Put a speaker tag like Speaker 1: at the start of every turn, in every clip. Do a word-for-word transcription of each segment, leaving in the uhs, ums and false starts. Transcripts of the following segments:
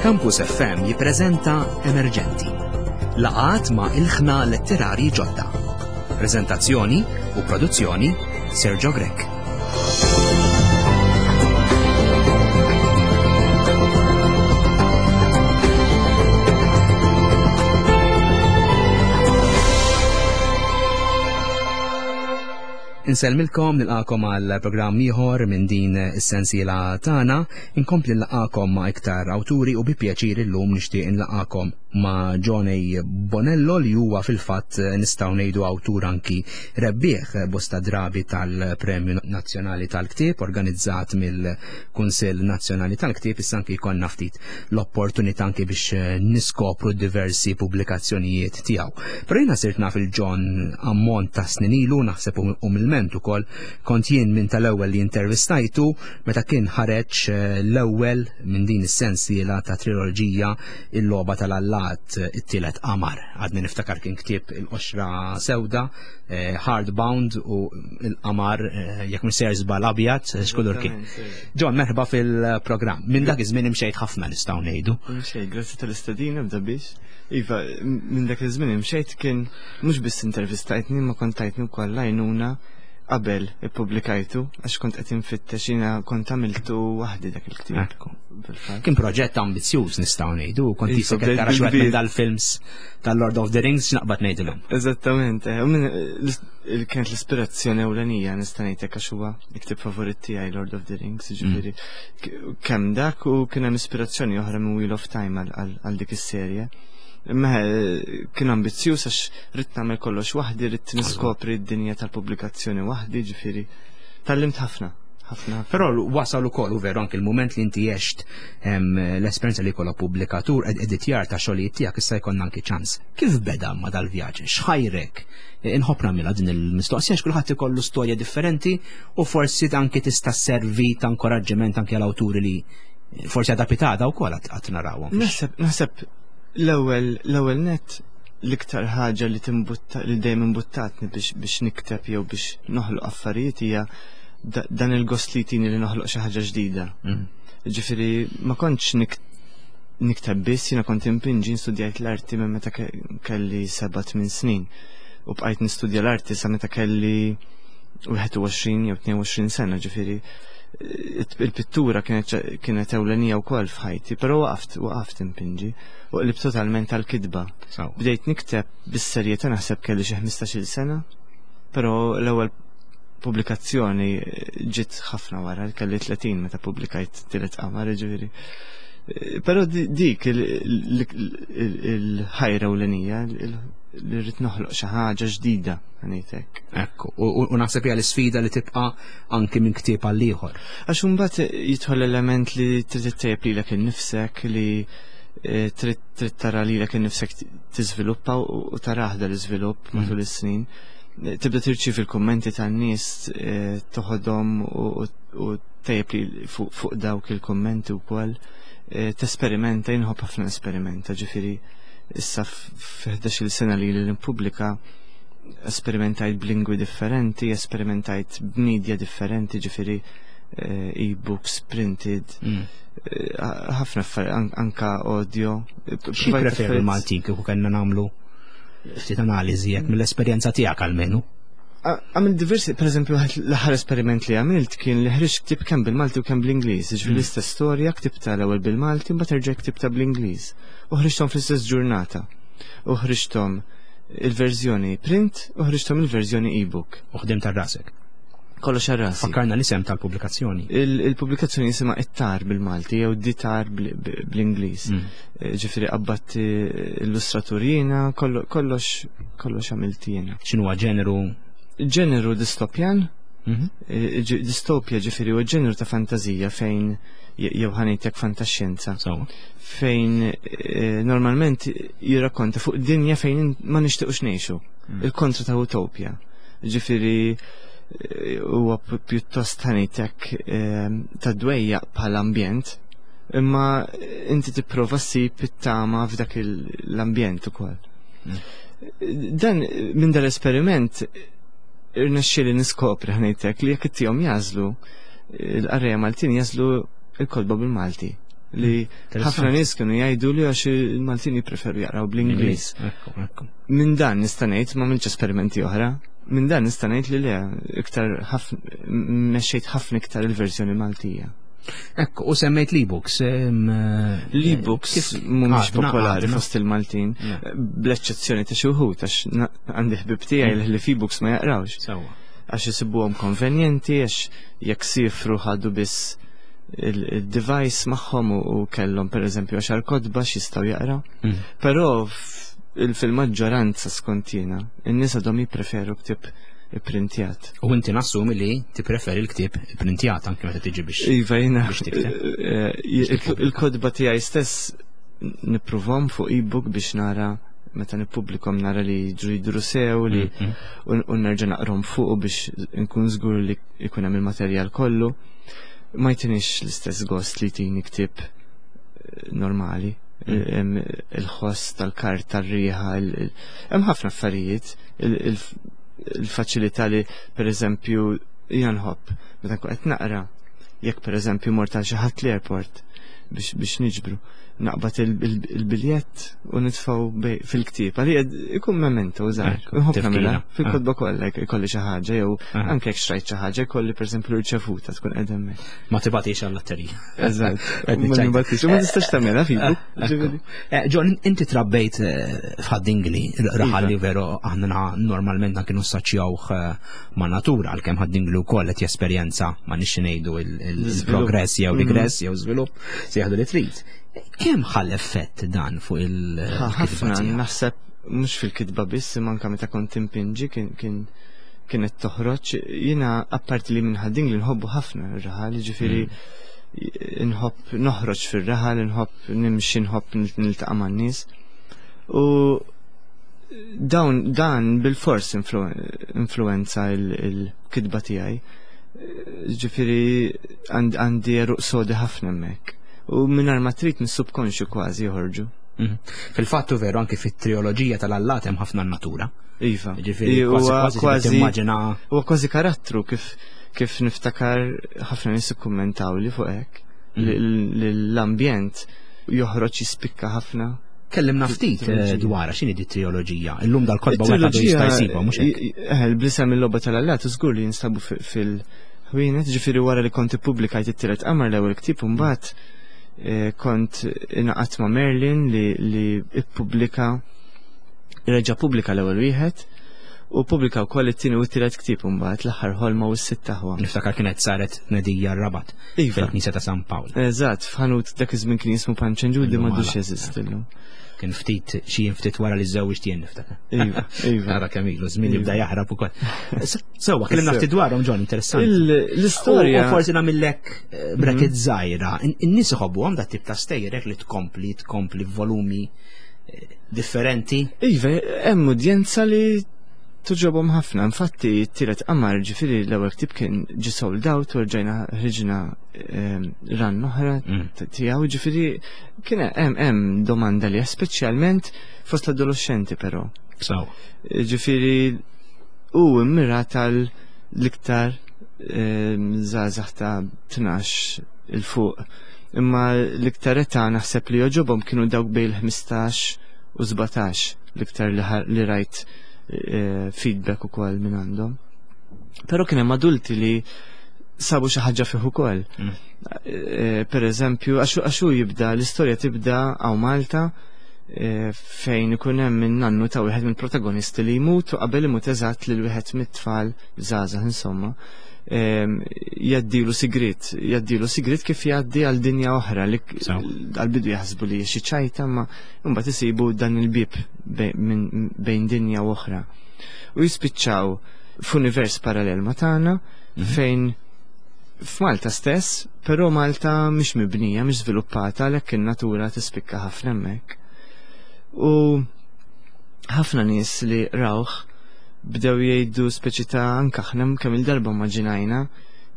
Speaker 1: Campus F M jippreżenta Emerġenti. Laqgħat ma' ilħna letterari ġodda. Prezentazzjoni u produzzjoni Sergio Grech. Insellmilkom, nilqagħkom għal programm ieħor minn din is-sensiela tagħna, inkompli nlaqgħakom ma' iktar awturi u bi pjaċir illum nixtieq nlaqgħakom ma' Johnny Bonello, li huwa fil-fatt, nistgħu ngħidu, awtur anki rebbieħ bosta drabi tal-Premju Nazzjonali tal-Ktieb organizzat mill-Kunsill Nazzjonali tal-Ktieb. Issa anki jkollna ftit l-opportunità anki biex niskopru diversi pubblikazzjonijiet tiegħu. Però jiena sirt naf il-John ammont ta' snin ilu, naħseb umilment ukoll kont jien minn tal-ewwel li intervistajtu meta kien ħareġ eh, l-ewwel minn din is-sensiela ta' triloġija, Il-Logħba tal-Allat, It-Tielet Qamar. Għadni niftakar kien ktieb il-qoxra sewda, eh, hardbound, u il-qamar, eh, jekk mhux sejjer żball, abjad, x'kulur kien. John, merħba fil-programm. Minn dak iż-żmien imxejt ħafna, nistgħu ngħidu.
Speaker 2: Imxejt, grazzi tal-istedina bda biex. Iva, minn dak iż-żmien imxejt. Kien mhux biss intervistajtni, ma kont tajtni wkoll għajnuna qabel ippubblikajtu, għax kont qed infittex, jiena kont għamiltu waħdi dak il-ktieb.
Speaker 1: Ekku. Kien proġett ambizzjuż, nistgħu ngħidu, kont
Speaker 2: Iva,
Speaker 1: jisek
Speaker 2: bdejt
Speaker 1: tara xi minn
Speaker 2: bil-kbir.
Speaker 1: dal-films tal-Lord of the Rings, x'naqbad ngħidilhom.
Speaker 2: Eżattament, eh, u minn l- kienet l-ispirazzjoni ewlenija, nista' ngħidlek, għax huwa il-ktieb favorit tiegħi, Lord of the Rings, jiġifieri k- kemm dak u kien hemm ispirazzjoni oħra minn Wheel of Time għal- għal għal dik is-serje. Imma eh, kien ambizzjuż għax ridt nagħmel kollox waħdi, ridt niskopri d-dinja tal-pubblikazzjoni waħdi, ġifieri tgħallimt ħafna, ħafna. ħafna.
Speaker 1: Però wasal ukoll, u veru, anke il-mument li inti għext em, l-esperjenza li jkollok pubblikatur ed editjar ta' xogħlijiet tiegħek, issa jkollna anki ċans. Kif beda ma dal-vjaġġ? X'ħajrek? Inħobb nagħmilha din il-mistoqsija għax kulħadd ikollu storja differenti u forsi anki tista' servi ta' inkoraġġiment anke għal awturi li forsi għadha pitgħada wkoll qatt narawhom.
Speaker 2: Naħseb, naħseb l-ewwel l-ewwel net l-iktar ħaġa li timbutta, li dejjem imbuttatni biex biex nikteb jew biex noħloq affarijiet hija da- dan il-gost li jtini li noħloq xi ħaġa ġdida.
Speaker 1: Mm.
Speaker 2: Ġifieri ma kontx nik nikteb biss, jiena kont impinġi, studjajt l-arti minn meta ke- kelli seba' tmien snin u bqajt nistudja l-arti sa meta kelli wieħed u għoxrin jew tnejn u għoxrin sena, ġifieri eh, il-pittura kienet kienet ewlenija wkoll f'ħajti, però waqaft waqaft impinġi u qlibt totalment tal-kitba.
Speaker 1: Sawa.
Speaker 2: Bdejt nikteb bis-serjetà naħseb kelli xi ħmistax-il sena, però l-ewwel pubblikazzjoni ġiet ħafna wara, kelli tletin meta pubblikajt Tielet Qamar, ġifieri. Eh, Però di- dik il- il- il- il-ħajra ewlenija il- li rrid noħloq xi ħaġa ġdida, ngħidlek.
Speaker 1: Ekku, u u- u naħseb hija l-isfida li tibqa' anki minn ktieb għal ieħor.
Speaker 2: Għax imbagħad jidħol element li trid ittejjeb lilek innifsek, li eh, trid trid tara lilek innifsek tiżviluppa u u tarah dal-iżvilupp matul is-snin. Eh, Tibda tirċievi il-kummenti tan-nies, eh, toħodhom u u- u tejjeb li fuq fuq dawk il-kummenti wkoll. Eh, Tesperimenta, inħobb ħafna esperimenta, ġifieri issa f'ħdax-il sena li li nippubblika esperimentajt b'lingwi differenti, esperimentajt b'media differenti, ġifieri eh, e-books, printed,
Speaker 1: Mm.
Speaker 2: eh, ħafna affarijiet, an- anka audio.
Speaker 1: Xi preferu l-Maltin kieku kellna nagħmlu ftit analiżi jekk mill-esperjenza tiegħek almenu?
Speaker 2: Għamil diversi, per eżempju, l-aħħar esperiment li għamilt kien li ħriġt ktib kemm bil-Malti u kemm bl-Ingliż. Ġifieri l-istess storja ktibta l-ewwel bil-Malti u mbagħad erġa' ktibta bl-Ingliż. U ħriġthom fl-istess ġurnata. U ħriġthom il-verżjoni print u ħriġthom il-verżjoni e-book.
Speaker 1: U ħdimt għal rasek.
Speaker 2: Kollox għal rasi.
Speaker 1: Fakkarna l-isem tal-pubblikazzjoni.
Speaker 2: Il- Il-pubblikazzjoni jisimha It-Tar bil-Malti jew The Tar bl-Ingliż.
Speaker 1: Mm.
Speaker 2: Eh, Ġifieri qabbadt illustratur jiena, kollo- kollox kollox għamilt jiena.
Speaker 1: X'inhuwa ġeneru?
Speaker 2: Ġeneru distopjan,
Speaker 1: Mhm.
Speaker 2: eh, ġi- distopja ġifieri huwa ġeneru ta' fantazija fejn je- jew ħa ngħidlek fantaxjenza,
Speaker 1: Sawa.
Speaker 2: fejn eh, normalment jirrakkonta fuq dinja fejn ma nixtiequx ngħixu. Il-kontra ta' utopja. Ġifieri eh, huwa pi- pjuttost ħa ngħidlek eh, ta' dwejjaq bħala ambjent, imma inti tipprova ssib it-tama f'dak il- l-ambjent ukoll. Dan minn dal-esperiment irnexxieli niskopri, ħa ngħidlek, li jekk ittihom jagħżlu, il-qarrejja Maltin jagħżlu il-kotba bil-Malti. Li ħafna nies kienu jgħidu li għax il-Maltin jippreferu jaqraw bl-Ingliż. Minn dan nista' ngħid, ma m'għamiltx esperimenti oħra, minn dan nista' ngħid li le, iktar mexxejt ħafna iktar il-verżjoni Maltija.
Speaker 1: Ekku, u semmejt l-e-books.
Speaker 2: L-e-books mhumiex popolari fost il-Maltin, bl-eċċezzjoni ta' xi wħud, għax għandi ħbib tiegħi li f'e-books ma jaqrawx. Għax isibuhom konvenjenti, għax jekk sifru ħadu biss il-device magħhom u kellhom pereżempju għaxar kotba x'jistgħu jaqraw. Però fil-maġġoranza skont jiena, in-nies għadhom jippreferu ktieb ipprintjat.
Speaker 1: U inti nassumi li tippreferi l-ktieb ipprintjat anke meta tiġi biex.
Speaker 2: Iva, jiena il-kotba tiegħi stess nippruvhom fuq e-book biex nara meta nippubblikhom nara li jiġru jidhru sew li u nerġa' naqrom fuq biex nkun żgur li jkun hemm il-materjal kollu. Ma jtinix l-istess gost li tini ktieb normali. Il-ħoss tal-karta, r-riħa, hemm ħafna affarijiet, il-faċilità li pereżempju jiena nħobb meta nkun qed naqra, jekk pereżempju mort għal xi ħadd l-airport biex niġbru, naqbad il-biljett u nitfgħu fil-ktieb. Għalija ikun memento żgħir. Nħobb nagħmilha fil-kotba kollha jkolli xi ħaġa jew anke jekk xtrajt xi ħaġa jkolli pereżempju rċevuta tkun qed hemmhekk.
Speaker 1: Ma tibatix għall-latterija.
Speaker 2: Eżatt. Ma nibatix, u ma tistax tagħmilha fil-book.
Speaker 1: John, inti trabbejt f'Ħad-Dingli, raħal li veru aħna normalment kienu assoċjawh ma' natura, għalkemm Ħad-Dingli wkoll qed jesperjenza ma nixxi ngħidu il-progress jew regress jew żvilupp, se jaħdu li trid. Kemm ħall effett dan fuq il-kitba?
Speaker 2: Ħafna, naħseb mhux fil-kitba biss, imma anke meta kont impinġi kien kienet toħroġ. Jiena apparti li minn Ħad-Dingli nħobbu ħafna r-raħal, jiġifieri nħobb noħroġ fir-raħal, nħobb nimxi, nħobb niltaqa' man-nies. U dawn dan bil-fors influenza il-kitba tiegħi. Ġifieri għandi għeruq sodi ħafna hemmhekk. U mingħajr ma trid mis-subkonxju kważi joħorġu.
Speaker 1: Fil-fattu veru anke fit-trioloġija tal-allat hemm ħafna natura.
Speaker 2: Iva.
Speaker 1: Ġifieri kważi kważi timmaġina.
Speaker 2: Huwa kważi karattru kif kif niftakar ħafna nies ikkummentaw li fuq hekk. L-ambjent joħroġ jispikka ħafna.
Speaker 1: Kellimna ftit dwar x'inhi di trioloġija. Illum dal-kotba wieħed għadu jista' jsibha mhux hekk.
Speaker 2: Eh, bl-isem il-logħba tal-allat żgur li jinstabu fil-ħwienet, ġifieri wara li kont ippubblikajt it-tielet qamar l-ewwel ktieb u mbagħad kont ingħaqadt ma' Merlin li li ippubblika reġa' pubblika l-ewwel wieħed u pubblika wkoll it-tieni u t-tielet ktieb imbagħad l-aħħar ħolma u s-sitt aħwa.
Speaker 1: Niftakar kienet saret tnedija r-Rabat fil-Knisja ta' San Pawl.
Speaker 2: Eżatt, f'ħanut dak iż-żmien kien jismu Panċenġudi m'għadux jeżisti llum.
Speaker 1: Kien ftit xi ftit wara li żewġt jien niftakar.
Speaker 2: Iva, iva.
Speaker 1: Ara kemm ilu żmien jibda jaħrab ukoll. Sewwa, kellimna ftit dwarhom John, interessanti.
Speaker 2: L-istorja.
Speaker 1: U forsi nagħmillek bracket żgħira. In-nies iħobbuhom dat tip ta' stejjer li tkompli tkompli f'volumi differenti.
Speaker 2: Iva, hemm udjenza li tuġobhom ħafna. Infatti t-tielet qamar, ġifieri l-ewwel ktieb kien ġi sold out u rġajna ħriġna ran oħra tiegħu, ġifieri kien hemm hemm domanda li speċjalment fost l-adolescenti però.
Speaker 1: Sawa.
Speaker 2: Ġifieri hu immirat għal l-iktar żgħażagħ ta' tnax il fuq. Imma l-iktar età naħseb li joġobhom kienu dawk bejn il-ħmistax u sbatax l-iktar li rajt feedback ukoll minn għandhom. Però kien hemm adulti li sabu xi ħaġa fih ukoll. Per eżempju, għax hu jibda l-istorja tibda hawn Malta fejn ikun hemm in-nannu ta' wieħed mill-protagonisti li jmut u qabel imut eżatt lil wieħed mit-tfal żgħażagħ insomma jgħaddilu sigriet, jgħaddilu sigriet kif jgħaddi għal dinja oħra li għal-bidu jaħsbu li xi ċajta ma mbagħad isibu dan il-bieb bejn dinja u oħra. U jispiċċaw f'univers parallel ma tagħna fejn f'Malta stess, però Malta mhix mibnija, mhix żviluppata, għalhekk in-natura tispikka ħafna hemmhekk. U ħafna nies li rawh bdew jgħidu speċi ta' anke aħna kemm il-darba immaġinajna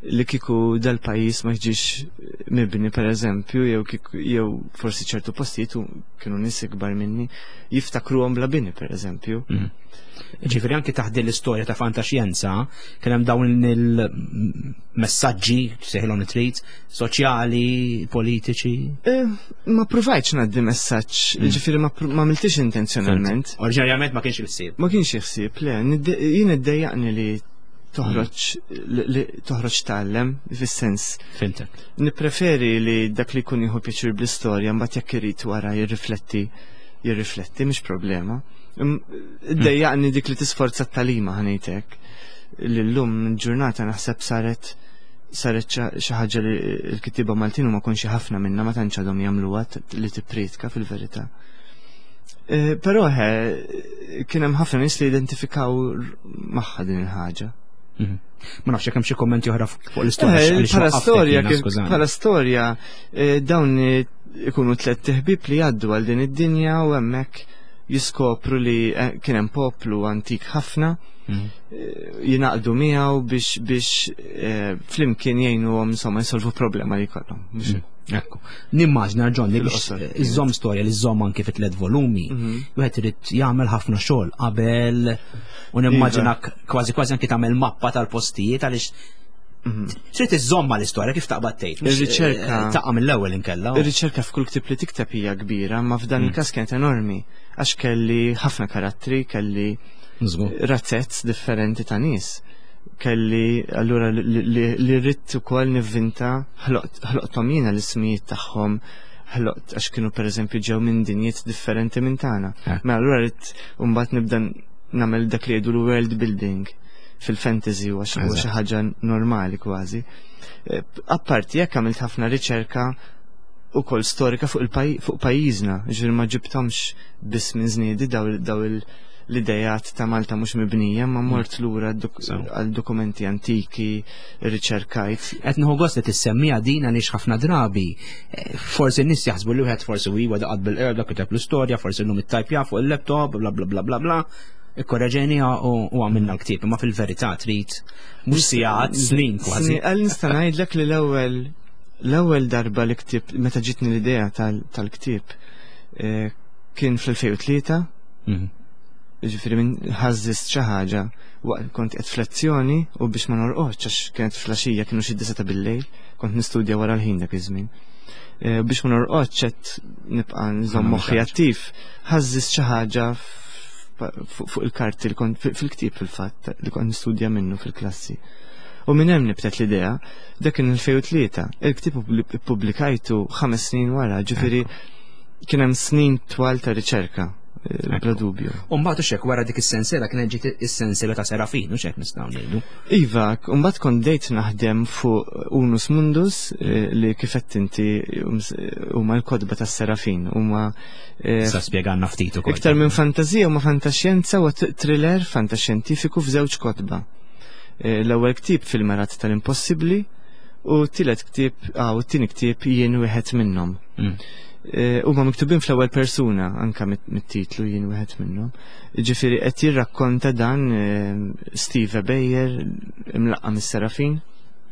Speaker 2: li kieku dal-pajjiż ma jiġix mibni pereżempju, jew jew forsi ċertu postijiet kienu nies ikbar minni jiftakruhom bla bini pereżempju.
Speaker 1: Ġifieri anke taħt din l-istorja ta' fantaxjenza kien hemm dawn il Messaġġi, sejħilhom li trid, soċjali, politiċi?
Speaker 2: Eh, ma provajtx ngħaddi messaġġ, mm. ġifieri ma għamiltix intenzjonalment.
Speaker 1: Oriġinarjament ma kienx il-ħsieb.
Speaker 2: Ma kienx il-ħsieb, le, jien iddejjaqni li toħroġ li toħroġ tgħallem fis-sens.
Speaker 1: Fhimtek.
Speaker 2: Nippreferi li dak li jkun jieħu pjaċir bl-istorja, mbagħad jekk irid wara jirrifletti, jirrifletti, mhix problema. Iddejjaqni dik li tisforza t-tagħlima, ħa ngħidlek. Li llum ġurnata naħseb saret saret xi ħaġa li l-kittieba Maltin huma konxi ħafna minna, ma tantx għadhom jagħmluha li tippriedka fil-verità. Eh, però kien hemm ħafna nies li identifikaw magħha din il-ħaġa.
Speaker 1: Mhm. Ma nafx jekk hemm xi kommenti oħra fuq l-istorja.
Speaker 2: Eh, bħala storja, bħala storja, eh, dawn ikunu tliet ħbieb li jgħaddu għal din id-dinja u hemmhekk jiskopru li kien hemm poplu antik ħafna, mhm. jingħaqdu miegħu biex biex flimkien jgħinuhom insomma jsolvu problema li jkollhom.
Speaker 1: Mhm. Ekku. Nimmaġna, John, li biex iżżomm storja li żżomm anki fi tliet volumi, mhm. wieħed irid jagħmel ħafna xogħol qabel u nimmaġinak iva. kważi kważi anki tagħmel mappa tal-postijiet għaliex mhm. trid iżżomm l-istorja kif taqbad tgħid.
Speaker 2: Ir-riċerka
Speaker 1: eh, taqa' mill-ewwel inkella.
Speaker 2: Ir-riċerka f'kull ktieb li tikteb hija kbira, ma f'dan mm. il-każ kienet enormi għax kelli ħafna karattri, kelli razzez differenti ta' nies, kelli allura li rrid ukoll nivvinta, ħloqthom jiena l-ismijiet tagħhom, ħloqt għax kienu pereżempju ġew minn dinjiet differenti minn tagħna. Eh. Mela allura rrid mbagħad nibda nagħmel dak li jgħidu l-world building fil-fantasy u xi ħaġa normali kważi. Eh, apparti jekk għamilt ħafna riċerka ukoll storika fuq fuq pajjiżna, ġifieri ma ġibthomx biss minn żniedi daw il- l-idejat ta' Malta mhux mibnija, ma mort lura għal dokumenti antiki, riċerkajt.
Speaker 1: Qed nieħu gost li tissemmija din għaliex ħafna drabi eh, forsi n-nies jaħsbu li wieħed forsi huwa daqat bil-qerda kiteb l-istorja, forsi llum it-tajpja fuq il-laptop, bla bla bla bla bla. Ikkorreġenija u għamilna l-ktieb, imma fil-verità trid mhux sigħat, snin kważi.
Speaker 2: Għal nista' ngħidlek li l-ewwel l-ewwel darba li ktibt, meta ġitni l-idea tal-ktieb, eh, kien fl-elfejn u tlieta.
Speaker 1: Mhm.
Speaker 2: Ġifieri minn ħażżist xi ħaġa waqt kont qed f'lezzjoni u biex ma norqodx għax kienet flaxija, kienu xi disgħa ta' billejl, kont nistudja wara l-ħin dak iż-żmien. Eh, biex ma norqodx qed nibqa' nżomm moħħi attiv, ħażżist xi ħaġa fuq il-karti li kont fil-ktieb fil-fatt li kont nistudja minnu fil-klassi. U minn hemm nibtet l-idea, dak kien elfejn u tlieta. Il-ktieb ippubblikajtu ħames snin wara, ġifieri kien hemm snin twal ta' riċerka. Bla dubju.
Speaker 1: U mbagħad hekk wara dik is-sensiela kienet ġiet is-sensiela ta' Serafin, u x'hekk nistgħu ngħidu.
Speaker 2: Iva, mbagħad kont bdejt naħdem fuq Unus Mundus, eh, li kif qed inti huma l-kotba tas-Serafin, huma
Speaker 1: eh, Sa spjegalna ftit ukoll.
Speaker 2: Iktar minn fantażija huma fantaxjenza u thriller fantaxjentifiku f'żewġ kotba. Eh, l-ewwel ktieb Fil-Merat tal-Impossibbli u t-tielet ktieb, ah, u t-tieni ktieb Jien Wieħed Minnhom.
Speaker 1: Mm.
Speaker 2: Eh, huma miktubin fl-ewwel persuna anka mit-titlu Jien Wieħed Minnhom. Ġifieri qed jirrakkonta dan eh, Steve Bayer imlaqqa mis-Serafin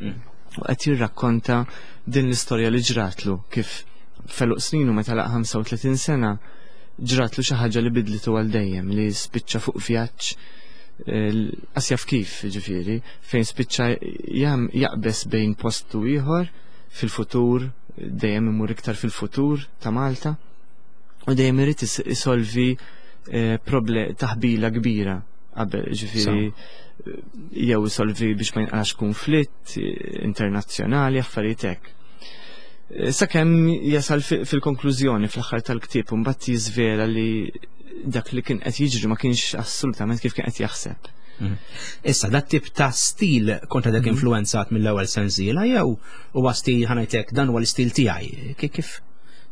Speaker 1: mm.
Speaker 2: u qed jirrakkonta din l-istorja li ġratlu kif feluq sninu meta laq ħamsa u tletin sena ġratlu xi ħaġa li bidlitu għal dejjem, li spiċċa fuq vjaġġ eh, qas jaf kif, ġifieri, fejn spiċċa jaqbes bejn post u ieħor fil-futur, dejjem imur iktar fil-futur ta' Malta u dejjem irid isolvi, eh, proble taħbila kbira qabel, ġifieri, jew isolvi biex ma jinqalax konflitt, eh, internazzjonali, affarijiet hekk. Eh, sakemm jasal fil-konklużjoni fl-aħħar tal-ktieb u mbagħad jiżvela li dak li kien qed jiġri ma kienx assolutament kif kien qed jaħseb.
Speaker 1: Mhm. Issa, dat tip ta' stil kontra dak
Speaker 2: Mhm.
Speaker 1: influenzat mill-ewwel sensiela jew huwa stil ħanajtek dan huwa l-istil tiegħi? Kif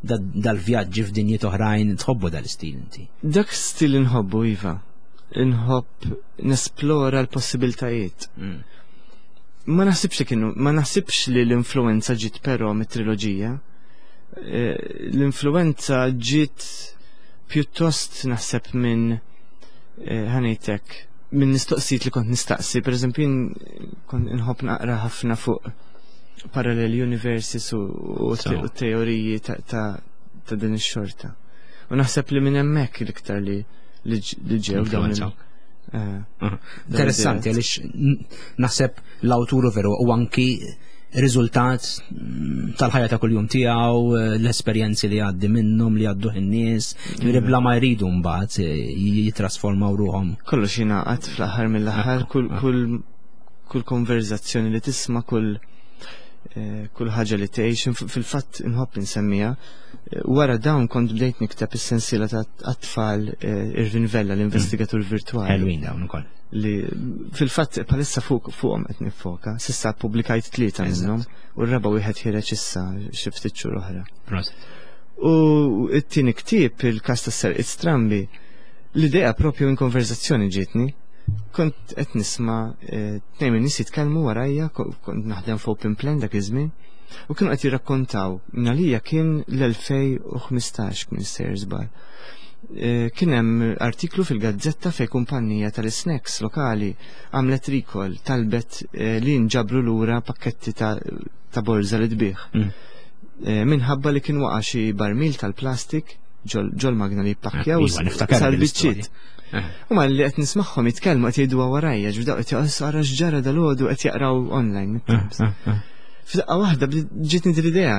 Speaker 1: dal-vjaġġi f'dinjiet oħrajn tħobbu dal-istil inti?
Speaker 2: Dak stil inħobbu, iva. Inħobb nesplora l-possibiltajiet.
Speaker 1: Mm.
Speaker 2: Ma naħsibx li kienu, ma naħsibx li l-influenza ġiet però mit-triloġija. Eh, l-influenza ġiet pjuttost naħseb minn, eh, ħanejtek, minn mistoqsijiet li kont nistaqsi. Per eżempju, jien kont inħobb naqra ħafna fuq parallel universes u, u
Speaker 1: So.
Speaker 2: te-, u teoriji ta', ta', ta' din ix-xorta. U naħseb li minn hemmhekk l-iktar li, li ġ-, li ġew dawn il-
Speaker 1: Influenza.
Speaker 2: Eh,
Speaker 1: Interessanti għaliex naħseb l-awturu veru u anki riżultat mm, tal-ħajja ta' kuljum tiegħu, l-esperjenzi li għaddi minnhom li għaddu in-nies, ġifieri bla ma jridu mbagħad eh, jitrasformaw ruhom.
Speaker 2: Kollox jingħaqad fl-aħħar mill-aħħar, kull kull kull konverzazzjoni li tisma', kull eh, kull ħaġa li tgħix, fil-fatt inħobb insemmija. Eh, wara dawn kont bdejt nikteb is-sensiela ta' tfal Irvin Vella, l-investigatur virtuali.
Speaker 1: Ħelwin dawn ukoll.
Speaker 2: Li fil-fatt palissa fuq fuqhom qed nifoka. S'issa pubblikajt tlieta minnhom u r-raba' wieħed ħireġ issa xi ftit xhur oħra. U t-tieni ktieb, il-każ tas-serqiet strambi, l-idea propju minn konverzazzjoni ġietni. Kont qed nisma' eh, tnejn minn nies jitkellmu warajja, kont naħdem fuq open plan dak iż-żmien, u kienu qed jirrakkontaw, għalija kien l-elfejn u ħmistax kien sejjer żball. Eh, kien hemm artiklu fil-gazzetta fej kumpanija tal-snacks lokali għamlet recall, talbet eh, li nġabru lura pakketti ta', ta borza li tbih. Mm. Eh, minħabba li kien waqa' xi barmil tal-plastik ġol magna li jippakkjaw
Speaker 1: iva,
Speaker 2: sar biċċiet. U ma li qed nismagħhom jitkellmu qed jgħidu warajja, ġbdaw qed jaqgħu ara x'ġara dalgħodu qed jaqraw online. F'daqqa waħda ġietni din l-idea,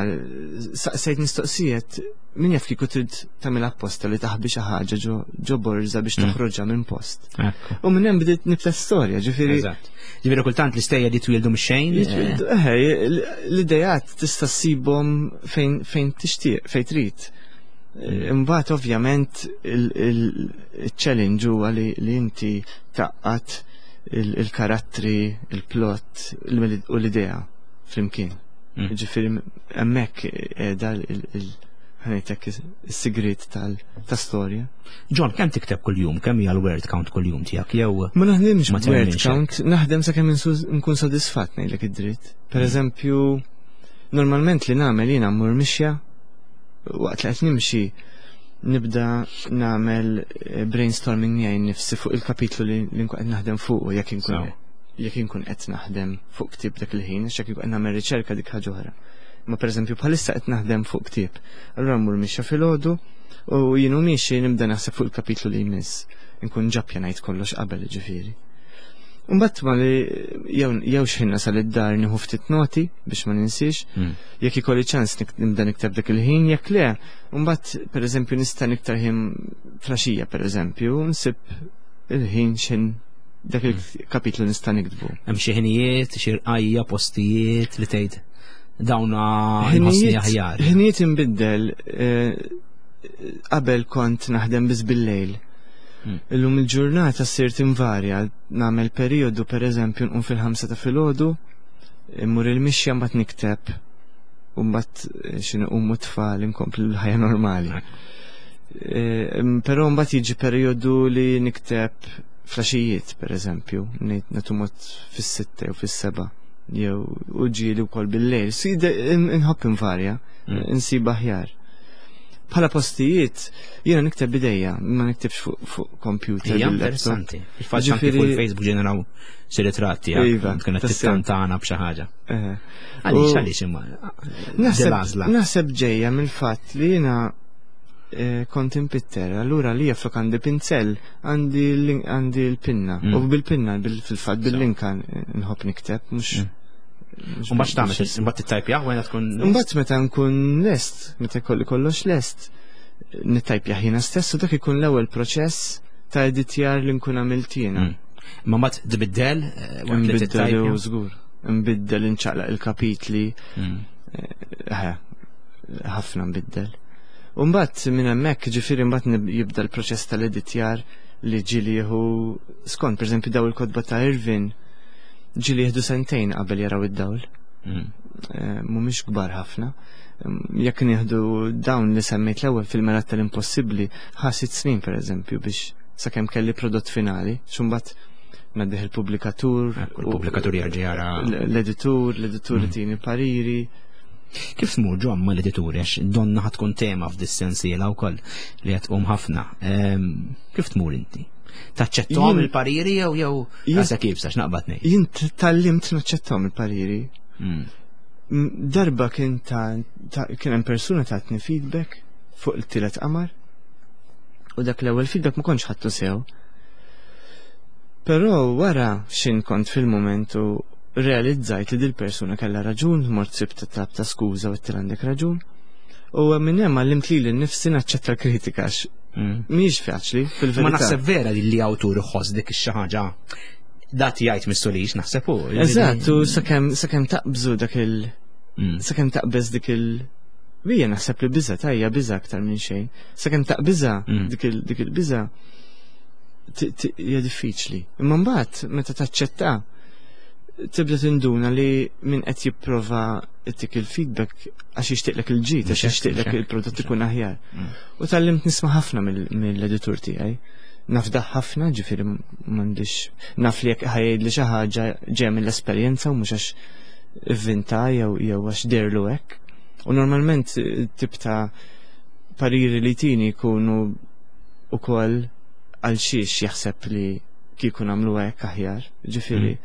Speaker 2: saqsejt mistoqsijiet, min jaf kieku trid tagħmel apposta li taħbi xi ħaġa ġo borża biex mm. toħroġha minn post. U minn hemm bdiet nibta storja, ġifieri.
Speaker 1: Ġifieri kultant l-istejjer li twildu mix-xejn.
Speaker 2: Eh, l-idejat tista' ssibhom fejn fejn tixtieq, fejn trid. Mm. Imbagħad ovvjament il-challenge huwa li inti tgħaqqad il-karattri, il-plot u l-idea flimkien. Mm. Ġifieri hemmhekk qiegħda ħanejtek is-sigrit tal-storja.
Speaker 1: John, kemm tikteb kuljum? Kemm hija l-word count kuljum tiegħek jew
Speaker 2: Ma naħdimx word count, naħdem sakemm nkun sodisfatt ngħidlek id-dritt. Per mm. eżempju, normalment li nagħmel jiena mmur mixja, waqt li qed nimxi nibda nagħmel eh, brainstorming miegħi nnifsi fuq il-kapitlu li nkun qed naħdem fuq jekk inkun jekk inkun qed naħdem fuq ktieb dak il-ħin, għax jekk inkun qed nagħmel riċerka dik ħaġa oħra. Ma pereżempju bħalissa qed naħdem fuq ktieb. Allura mmur mixja filgħodu u jienu miexi nibda naħseb fuq il-kapitlu li jmiss. Nkun ġa ppjanajt kollox qabel ġifieri. Mbagħad ma li jew jew x'ħin nasal id-dar nieħu ftit noti biex ma ninsiex.
Speaker 1: Mm.
Speaker 2: Jekk ikolli ċans nibda nikteb dak il-ħin, jekk le, mbagħad pereżempju nista' niktar ħin filgħaxija pereżempju, nsib il-ħin x'ħin dak il-kapitlu nista' niktbu.
Speaker 1: Hemm xi ħinijiet, xi rqajja, postijiet li tgħid dawna nħossni aħjar.
Speaker 2: Ħinijiet inbiddel eh, qabel kont naħdem biss bil-lejl.
Speaker 1: Mm.
Speaker 2: Illum il-ġurnata sirt invarja, nagħmel perjodu pereżempju nqum fil-ħamsa ta' filgħodu, immur il-mixja mbagħad nikteb u mbagħad eh, xi nqumu tfal inkompli l-ħajja normali. Eh, Però mbagħad jiġi perjodu li nikteb filgħaxijiet pereżempju, ngħid mod fis-sitta jew fis-seba' jew u ġieli wkoll bil-lejl. Inħobb invarja,
Speaker 1: Mm.
Speaker 2: insib aħjar. Bħala postijiet, jiena nikteb bidejja, ma niktibx fuq fuq computer.
Speaker 1: Hija
Speaker 2: bil-laptop.
Speaker 1: interessanti. Il-fatt anke
Speaker 2: Ġifieri-
Speaker 1: fuq il-Facebook ġeneraw xi ritratti
Speaker 2: Iva,
Speaker 1: tkun qed
Speaker 2: tassew.
Speaker 1: tittantana b'xi ħaġa.
Speaker 2: Eh.
Speaker 1: Għaliex
Speaker 2: U-
Speaker 1: għaliex imma
Speaker 2: Naħseb
Speaker 1: dil-għażla.
Speaker 2: naħseb ġejja mill-fatt li jiena eh, kont impitter, allura li flok għandi pinzell, għandi l- għandi l-pinna.
Speaker 1: Mm.
Speaker 2: U bil-pinna, bil- fil-fatt bil-linka nħobb nikteb, mhux.
Speaker 1: Mm. U mbagħad x'tagħmel? Imbagħad tittajpja wara tkun
Speaker 2: Mbagħad meta nkun lest, meta jkolli kollox lest, nittajpja jiena stess u dak ikun l-ewwel proċess ta' editjar li nkun għamilt jiena.
Speaker 1: Mm. Ma mbagħad tbiddel eh, waqt li
Speaker 2: Nbiddel
Speaker 1: tittajpja.
Speaker 2: u żgur. Nbiddel inċaqlaq il-kapitli,
Speaker 1: Mm.
Speaker 2: eh, ħafna nbiddel. U mbagħad minn hemmhekk ġifieri mbagħad nib- jibda l-proċess tal-editjar li ġieli jieħu skont pereżempju daw il-kotba ta' Irvin ġieli jieħdu sentejn qabel jaraw id-dawl.
Speaker 1: Mm.
Speaker 2: Eh, mhumiex kbar ħafna. Mm, Jekk nieħdu dawn li semmejt l-ewwel fil-mera tal-impossibbli ħa sitt snin pereżempju biex sakemm kelli prodott finali, x'mbagħad ngħaddih il-pubblikatur,
Speaker 1: Ekku, il-pubblikatur jerġa' jara.
Speaker 2: l- l-editur, l-editur
Speaker 1: Mm.
Speaker 2: itini pariri.
Speaker 1: Kif tmur ġo ma l-edituri għax donna ħa tkun tema f'dis-sensiela wkoll li qed tqum ħafna. Ehm, Kif tmur inti? Taċċettom
Speaker 2: Jien-
Speaker 1: il-pariri jew jew
Speaker 2: Jien-
Speaker 1: għasa kif sax naqbad ngħid.
Speaker 2: Jien tgħallimt naċċettahom il-pariri.
Speaker 1: Mm.
Speaker 2: M- Darba kien ta' ta- kien hemm persuna tatni feedback fuq il-tielet qamar u dak l-ewwel feedback ma kontx ħadtu sew. Però wara xin kont fil-moment u realizzajt li dil-persuna kellha raġun, mort sibt tab ta' skuża u għedtilha għandek raġun. U minn hemm għallimt lili nnifsi naċċetta l-kritika għax mhijiex faċli fil-verità.
Speaker 1: Ma naħseb vera li li awtur iħoss dik ix-xi ħaġa dat jgħid mistulix naħseb hu.
Speaker 2: Eżatt, u sakemm sakemm taqbżu dak il-
Speaker 1: Mm.
Speaker 2: sakemm taqbeż dik il- Bija naħseb li biża tajja biża aktar minn xejn. Sakemm taqbiża
Speaker 1: Mm.
Speaker 2: dik il- dik il-biża ti- ti- hija diffiċli. Imma mbagħad meta taċċetta tibda tinduna li min qed jipprova ittik il-feedback għax jixtieqlek il-ġid, għax
Speaker 1: Mhux hekk,
Speaker 2: jixtieqlek
Speaker 1: mhux hekk,
Speaker 2: il-prodott
Speaker 1: mhux
Speaker 2: ikun aħjar.
Speaker 1: Mm.
Speaker 2: U tgħallimt nisma' ħafna mill- mill-editur tiegħi. Nafdaħ ħafna, ġifieri m'għandix naf li jekk ħa jgħidli xi ħaġa ġejja mill-esperjenza u mhux għax ivvinta jew jew għax dehrlu hekk. U normalment eh, tip ta' pariri li tini jkunu ukoll għal xiex jaħseb li kieku nagħmlu hekk aħjar. Ġifieri.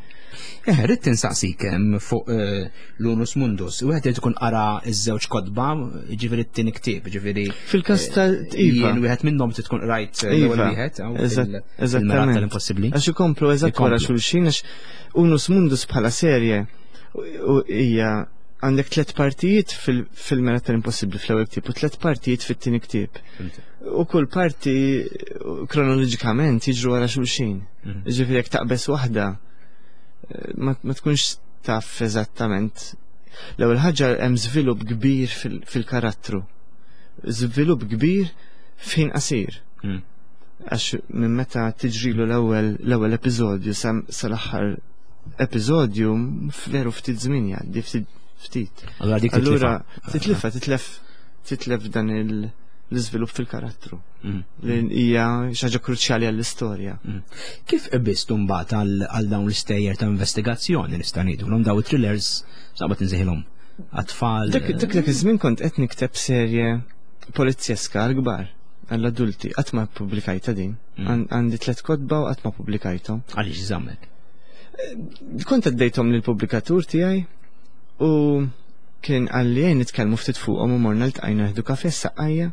Speaker 1: Eh, rrid tinsaqsik hemm fuq eh, l-Unus Mundus. Wieħed irid ikun qara ż-żewġ kotba, ġifieri t-tieni ktieb, ġifieri
Speaker 2: Fil-każ ta' Iva.
Speaker 1: jien wieħed minnhom trid tkun qrajt eh, l-ewwel
Speaker 2: Iva,
Speaker 1: wieħed hawn
Speaker 2: eżatt-
Speaker 1: fil- fil-Mergħat
Speaker 2: eżattament.
Speaker 1: tal-Impossibbli.
Speaker 2: Għax ikomplu eżatt wara
Speaker 1: Ikomplu.
Speaker 2: xulxin għax Unus Mundus bħala serje u- u hija għandek tliet partijiet fil- fil-Mergħat tal-Impossibbli fl-ewwel ktieb u tliet partijiet fit-tieni ktieb. U kull parti kronoloġikament jiġru wara xulxin.
Speaker 1: Mhm.
Speaker 2: Ġifieri jekk taqbeż waħda eh, ma ma tkunx taf eżattament. L-ewwel ħaġa hemm żvilupp kbir fil- fil-karattru. Żvilupp kbir f'ħin qasir.
Speaker 1: Mm.
Speaker 2: Għax minn meta tiġrilu l-ewwel l-ewwel episodju sa sal-aħħar episodju veru ftit żmien jgħaddi ftit ftit.
Speaker 1: Allura dik
Speaker 2: Allura
Speaker 1: titlifa.
Speaker 2: titlifa titlef titlef dan il- l-iżvilupp fil-karattru
Speaker 1: Mm.
Speaker 2: li hija xi ħaġa kruċjali għall-istorja.
Speaker 1: Mm. Kif qbiżtu mbagħad għal għal dawn l-istejjer ta' investigazzjoni nista' ngħidulhom daw it-thrillers sabat insejħilhom għat-tfal.
Speaker 2: Dak dak dak iż-żmien kont qed nikteb serje polizjeska għall-kbar għall-adulti qatt ma ppubblikajtha din.
Speaker 1: Mm.
Speaker 2: Għan- Għandi tliet kotba u qatt ma ppubblikajthom.
Speaker 1: Għaliex żammek.
Speaker 2: Kont għaddejthom lill-pubblikatur tiegħi u kien qalli ejja nitkellmu ftit fuqhom u morna ltqajna nieħdu kafè Saqqajja.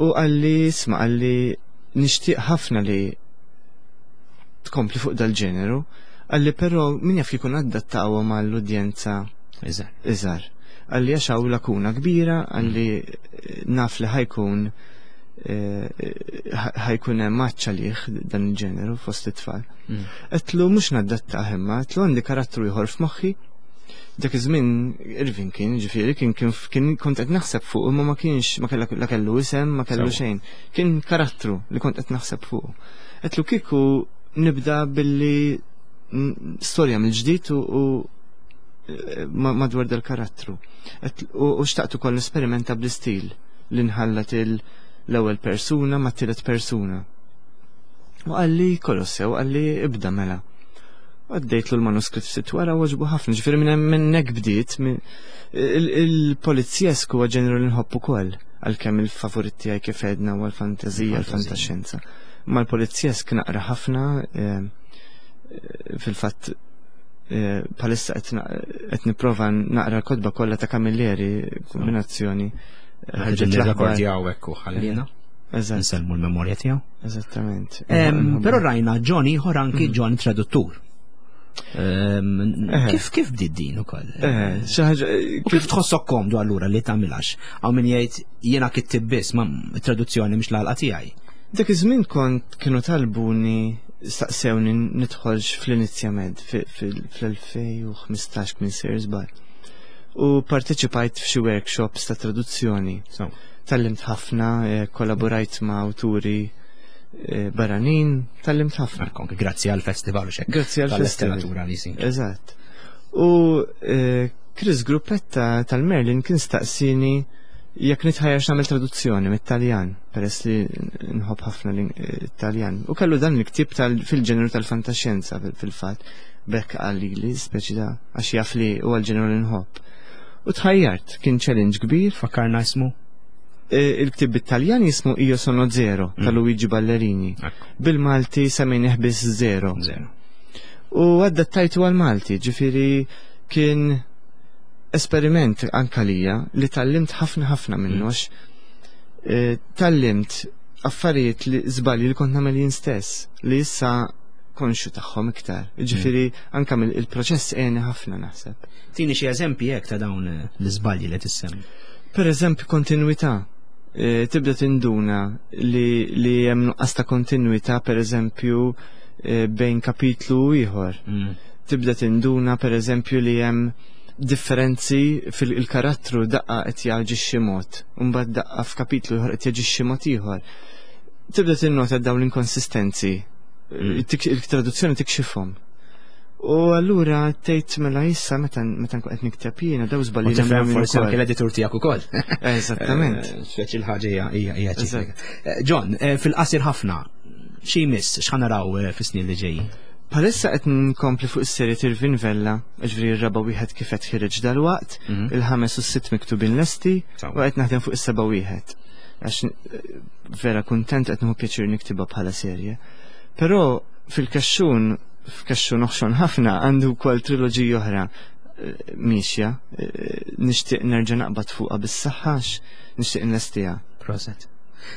Speaker 2: U qalli isma' qalli nixtieq ħafna li tkompli fuq dal-ġeneru, qalli però min jaf jkun adattawhom għall-udjenza
Speaker 1: Eżatt.
Speaker 2: iżgħar. Qalli għax hawn lakuna kbira, qalli eh, naf li ħa jkun eh, ħa jkun hemm għatx għalih dan il-ġeneru fost it-tfal.
Speaker 1: Mm.
Speaker 2: Għedtlu mhux nadattah imma, għedtlu għandi karattru ieħor f'moħħi. Dak iż-żmien Irvin kien, ġifieri kien kien kien kont qed naħseb fuq imma ma kienx ma kellha la kellu isem, ma kellu
Speaker 1: Sewa.
Speaker 2: xejn. Kien karattru li kont qed naħseb fuq. Għedtlu kieku nibda billi n- storja mill-ġdid u, u eh, ma- madwar dal-karattru. Għedt- U u xtaqt ukoll nesperimenta bl-istil li nħallat il- l-ewwel persuna ma' t-tielet persuna. U qalli kollox sew, qalli ibda mela. Għaddejtlu l-manuskritt ftit wara u għoġbu ħafna, ġifieri minn hemm minn hekk bdiet, minn- il- il-polizjesku huwa ġeneru li nħobb ukoll, għalkemm il-favorit tiegħi kif għedna huwa l-fantażija, l-fantaxjenza. Ma l-polizjesk naqra ħafna, eh, eh, fil-fatt eh, bħalissa qed na- qed nipprova naqra l-kotba kollha ta' Camilleri, kombinazzjoni. eh, ħarġet l-aħbar.
Speaker 1: Nirrekordjaw hekk u ħallina.
Speaker 2: Eżatt,
Speaker 1: Nsellmu l-memorja tiegħu.
Speaker 2: eżattament.
Speaker 1: Em, Però rajna John ieħor anki John traduttur. Em,
Speaker 2: Eh.
Speaker 1: Kif kif bdiet din ukoll?
Speaker 2: Eh, xi ħaġa
Speaker 1: U kif tħossok komdu allura li tagħmilhax? Hawn min jgħid jiena kittib biss ma traduzzjoni mhix l-għalqa tiegħi.
Speaker 2: Dak iż-żmien kont kienu talbuni staqsewni nidħolx fl-Inizjamed fl-elfejn u ħmistax minn sejjer żball. U parteċipajt f'xi workshops ta' traduzzjoni.
Speaker 1: So,
Speaker 2: Tgħallimt ħafna, eh, kollaborajt ma' awturi eh, barranin, tgħallimt ħafna.
Speaker 1: anke grazzi għal-festival u xek.
Speaker 2: Grazzi għal-festival.
Speaker 1: Tal-letteratura li jsir.
Speaker 2: Eżatt. U eh, Chris Gruppetta tal-Merlin kien staqsini jekk nitħajjarx nagħmel traduzzjoni mit-Taljan, peress li nħobb ħafna l-Taljan. U kellu dan il-ktieb fil-ġeneru tal-fantaxjenza fil-fatt, bekk qalli li speċi da għax jaf li huwa l-ġeneru li nħobb. U tħajjart, kien challenge kbir.
Speaker 1: Fakkarna ismu?
Speaker 2: Eh, Il-ktieb bit-Taljan jismu Io sono zero ta' Luigi Ballerini. Bil-Malti semmejnieh biss Zero.
Speaker 1: Zero.
Speaker 2: U adattajtu għal-Malti, ġifieri kien esperiment anka lija li tgħallimt ħafna ħafna minnu għax eh, tgħallimt affarijiet li żbalji li kont nagħmel jien stess li issa Konxju tagħhom iktar. Ġifieri anke il-proċess għeni ħafna, naħseb.
Speaker 1: Tini xi eżempji hekk ta' dawn l-iżbalji li tissemmi.
Speaker 2: Per eżempju, kontinuità. E, tibda tinduna li li hemm nuqqas ta' kontinuità, per eżempju, e, bejn kapitlu u ieħor. Mm. Tibda tinduna, per eżempju, li hemm differenzi fil-karattru, daqqa qed jaġixxi mod, u mbagħad daqqa f'kapitlu ieħor qed jaġixxi mod ieħor. Tibda tinnota dawn l-inkonsistenzi. Mm. Il-traduzzjoni tikxifhom. U allura tgħid, mela issa meta meta nkun qed nikteb jiena daw żbalji.
Speaker 1: Tifhem forsi anke l-editur tiegħek ukoll.
Speaker 2: Eżattament.
Speaker 1: Eh, speċi l-ħaġa hija hija ċifra. Eh, John, eh, fil-qasir ħafna, xi jmiss, x'ħa naraw fis-snin li ġejjin?
Speaker 2: Bħalissa qed nkompli fuq is-serje Tirvin Vella, ġifieri r-raba' wieħed kif qed ħireġ dalwaqt, mhm. il-ħames u s-sitt miktubin lesti, u qed naħdem fuq is-seba' wieħed. Għax vera kuntent, qed nieħu pjaċir niktibha bħala serje. Però fil-kaxxun, f'kaxxun oħxon ħafna, għandu wkoll triloġija oħra eh, miexja, eh, nixtieq nerġa' naqbad fuqha bis-saħħa, nixtieq nlestiha.
Speaker 1: Proset.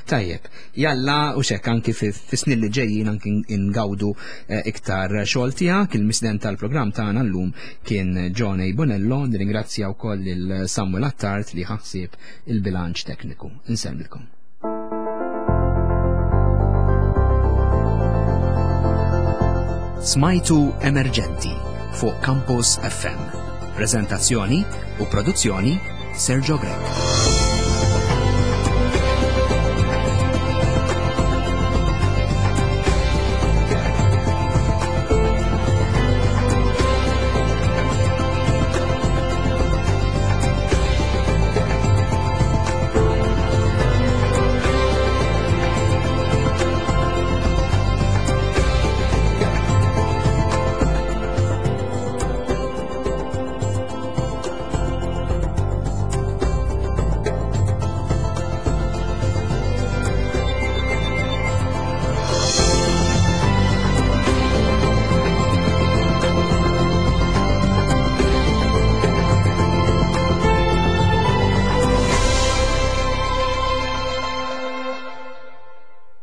Speaker 1: Tajjeb, jalla u xek anki fi snin li ġejjin anki ingawdu eh, iktar xogħol tiegħek. Il-mistieden tal-programm tagħna llum kien John A. Bonello, nirringrazzja wkoll lil Samuel Attard li ħassib il-bilanċ tekniku. Insellmilkom. Smajtu Emerġenti fuq Campus F M. Prezentazzjoni u produzzjoni, Sergio Grech.